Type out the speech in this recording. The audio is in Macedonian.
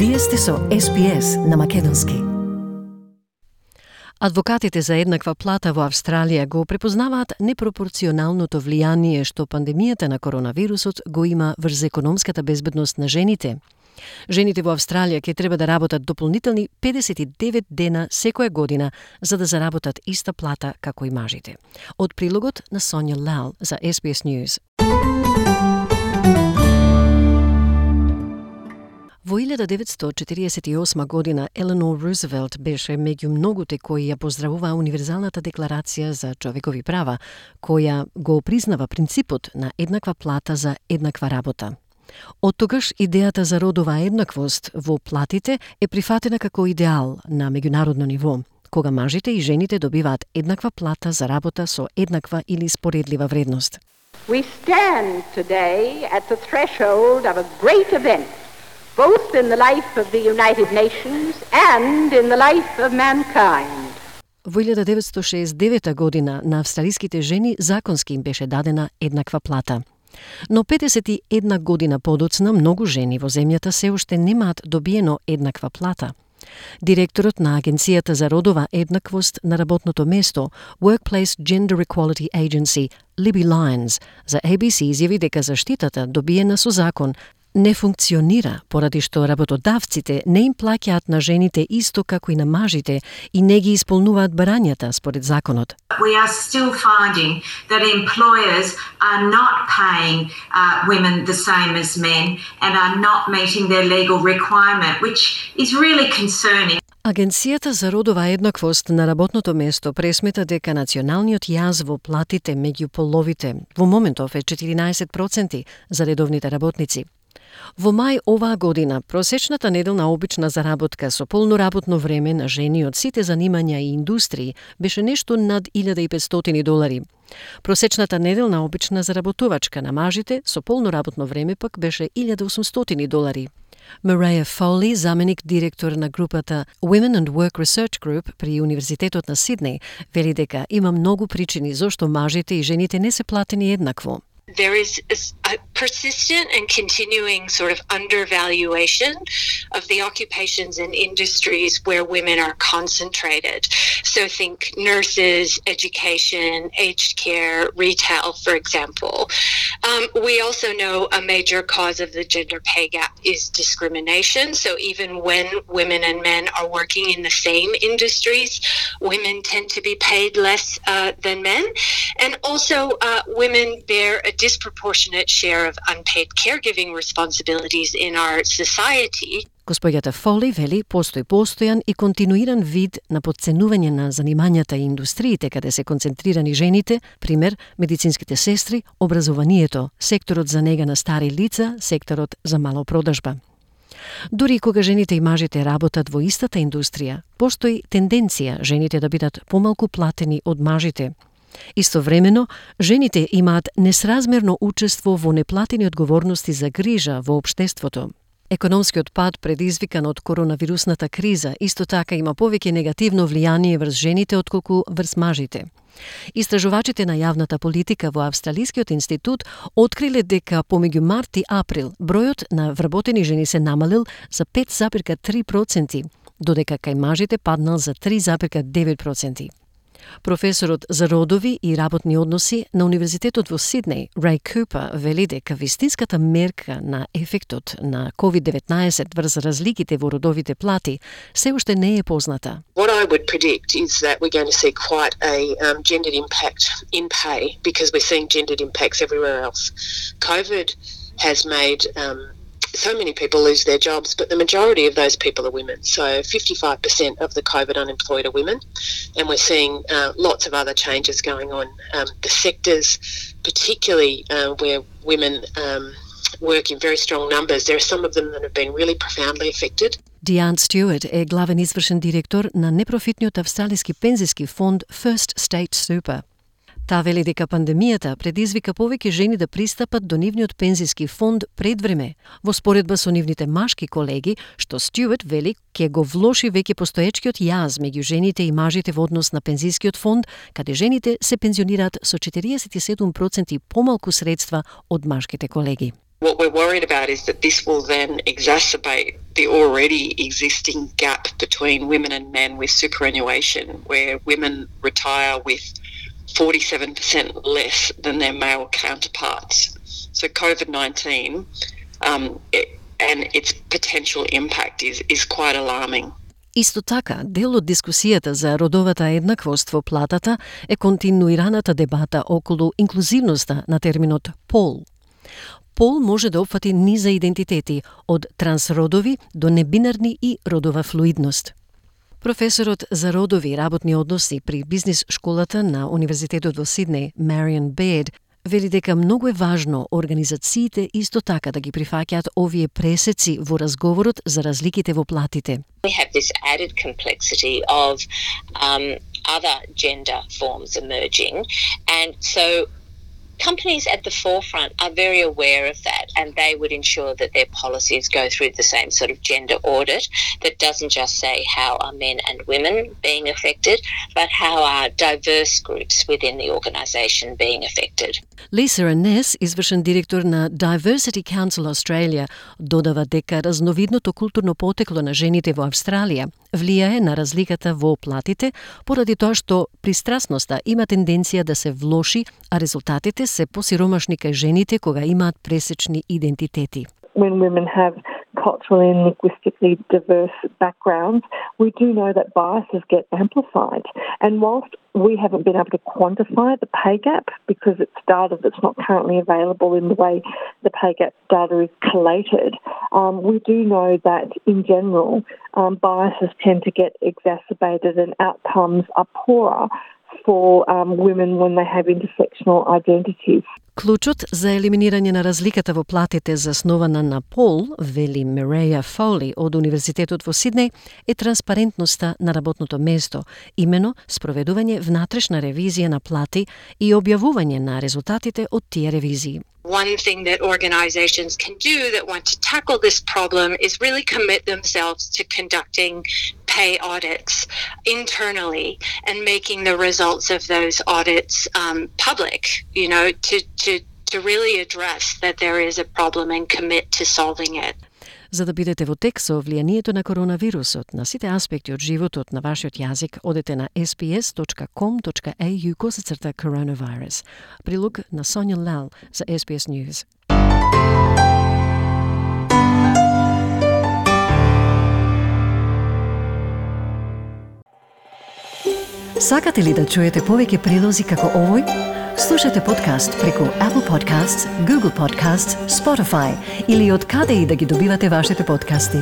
Вие сте со SPS на македонски. Адвокатите за еднаква плата во Австралија го препознаваат непропорционалното влијание што пандемијата на коронавирусот го има врз економската безбедност на жените. Жените во Австралија ќе треба да работат дополнителни 59 дена секоја година за да заработат иста плата како и мажите. Од прилогот на Сонја Лал за SBS News. Во 1948 година Еленор Рузвелт беше меѓу многуте кои ја поздравуваа Универзалната декларација за човекови права, која го признава принципот на еднаква плата за еднаква работа. Од тогаш идејата за родова еднаквост во платите е прифатена како идеал на меѓународно ниво, кога мажите и жените добиваат еднаква плата за работа со еднаква или споредлива вредност. We stand today at the threshold of a great event, both in the life of the United Nations and in the life of mankind. Во 1969 година на австралиските жени законски им беше дадена еднаква плата. Но 51 година подоцна многу жени во земјата се уште немаат добиено еднаква плата. Директорот на Агенцијата за родова еднаквост на работното место, Workplace Gender Equality Agency, Libby Lyons, за ABC изјави дека заштитата добиена со закон не функционира поради што работодавците не им плаќаат на жените исто како и на мажите и не ги исполнуваат барањата според законот. We are still finding that employers are not paying women the same as men and are not meeting their legal requirement, which is really concerning. Агенцијата за родова еднаквост на работното место пресмета дека националниот јаз во платите меѓу половите во моментов е 14% за редовните работници. Во мај оваа година, просечната неделна обична заработка со полно работно време на жени од сите занимања и индустрии беше нешто над $1,500. Просечната неделна обична заработувачка на мажите со полно работно време пак беше $1,800. Mariah Foley, заменик директор на групата Women and Work Research Group при Универзитетот на Сиднеј, вели дека има многу причини зошто мажите и жените не се платени еднакво. There is a persistent and continuing sort of undervaluation of the occupations and industries where women are concentrated. So think nurses, education, aged care, retail, for example. We also know a major cause of the gender pay gap is discrimination. So even when women and men are working in the same industries, women tend to be paid less than men. And also women bear a disproportionate share of unpaid caregiving responsibilities in our society. Господјата Фоли вели постои постојан и континуиран вид на потценување на занимањата и индустриите каде се концентрирани жените, пример медицинските сестри, образованието, секторот за нега на стари лица, секторот за малопродажба. Дури кога жените и мажите работат во истата индустрија, постои тенденција жените да бидат помалку платени од мажите. Истовремено, жените имаат несразмерно учество во неплатени одговорности за грижа во општеството. Економскиот пад предизвикан од коронавирусната криза исто така има повеќе негативно влијание врз жените отколку врз мажите. Истражувачите на јавната политика во Австралискиот институт откриле дека помеѓу март и април бројот на вработени жени се намалил за 5,3%, додека кај мажите паднал за 3,9%. Професорот за родови и работни односи на Универзитетот во Сиднеј, Рей Купер, вели дека вистинската мерка на ефектот на COVID-19 врз разликите во родовите плати се уште не е позната. What I would predict is that we're going to see quite a gendered impact in pay because we're seeing gendered impacts everywhere else. COVID has made so many people lose their jobs, but the majority of those people are women. So 55% of the COVID unemployed are women, and we're seeing lots of other changes going on. The sectors, particularly where women work in very strong numbers, there are some of them that have been really profoundly affected. Диан Стюарт е главен извршен директор на непрофитниот австралиски пензиски фонд First State Super. Таа вели дека пандемијата предизвика повеќе жени да пристапат до нивниот пензиски фонд пред време, во споредба со нивните машки колеги, што Стюарт вели ќе го влоши веќе постоечкиот јаз меѓу жените и мажите во однос на пензискиот фонд, каде жените се пензионираат со 47% помалку средства од машките колеги. What we're worried about is that this will then exacerbate the already existing gap between women and men with superannuation, where women retire with 47% less than their male counterparts. So COVID-19 and its potential impact is quite alarming. Исто така, дел од дискусијата за родовата еднаквост во платата е континуираната дебата околу инклузивноста на терминот пол. Пол може да опфати низа идентитети, од трансродови до небинарни и родова флуидност. Професорот за родови и работни односи при бизнис школата на Универзитетот во Сиднеј, Marion Baird, вели дека многу е важно организациите исто така да ги прифаќаат овие пресеци во разговорот за разликите во платите. We have this added complexity of other gender forms emerging, and so companies at the forefront are very aware of that, and they would ensure that their policies go through the same sort of gender audit that doesn't just say how are men and women being affected, but how are diverse groups within the organisation being affected. Lisa Anness, извршен директор на Diversity Council Australia, додава дека разновидното културно потекло на жените во Австралија влијае на разликата во платите, поради тоа што пристрасноста има тенденција да се влоши, а резултатите се посиромашни кај жените кога имаат пресечни идентитети. When women have culturally and linguistically diverse backgrounds, we do know that biases get amplified. And whilst we haven't been able to quantify the pay gap because it's data that's not currently available in the way the pay gap data is collated, we do know that in general biases tend to get exacerbated and outcomes are poorer for women when they have intersectional identities. Клучот за елиминирање на разликата во платите заснована на пол, вели Mireia Foley од Универзитетот во Сиднеј, е транспарентноста на работното место, имено спроведување внатрешна ревизија на плати и објавување на резултатите од тие ревизии. One thing that organizations can do that want to tackle this problem is really commit themselves to conducting pay audits internally and making the results of those audits public, to really address that there is a problem and commit to solving it. За да бидете во тек со влијанието на коронавирусот на сите аспекти од животот на вашиот јазик, одете на sbs.com.au/coronavirus. Прилог на Соња Лал за SBS News. Сакате ли да чуете повеќе прилози како овој? Слушате подкаст преку Apple Podcasts, Google Podcasts, Spotify или од каде и да ги добивате вашите подкасти.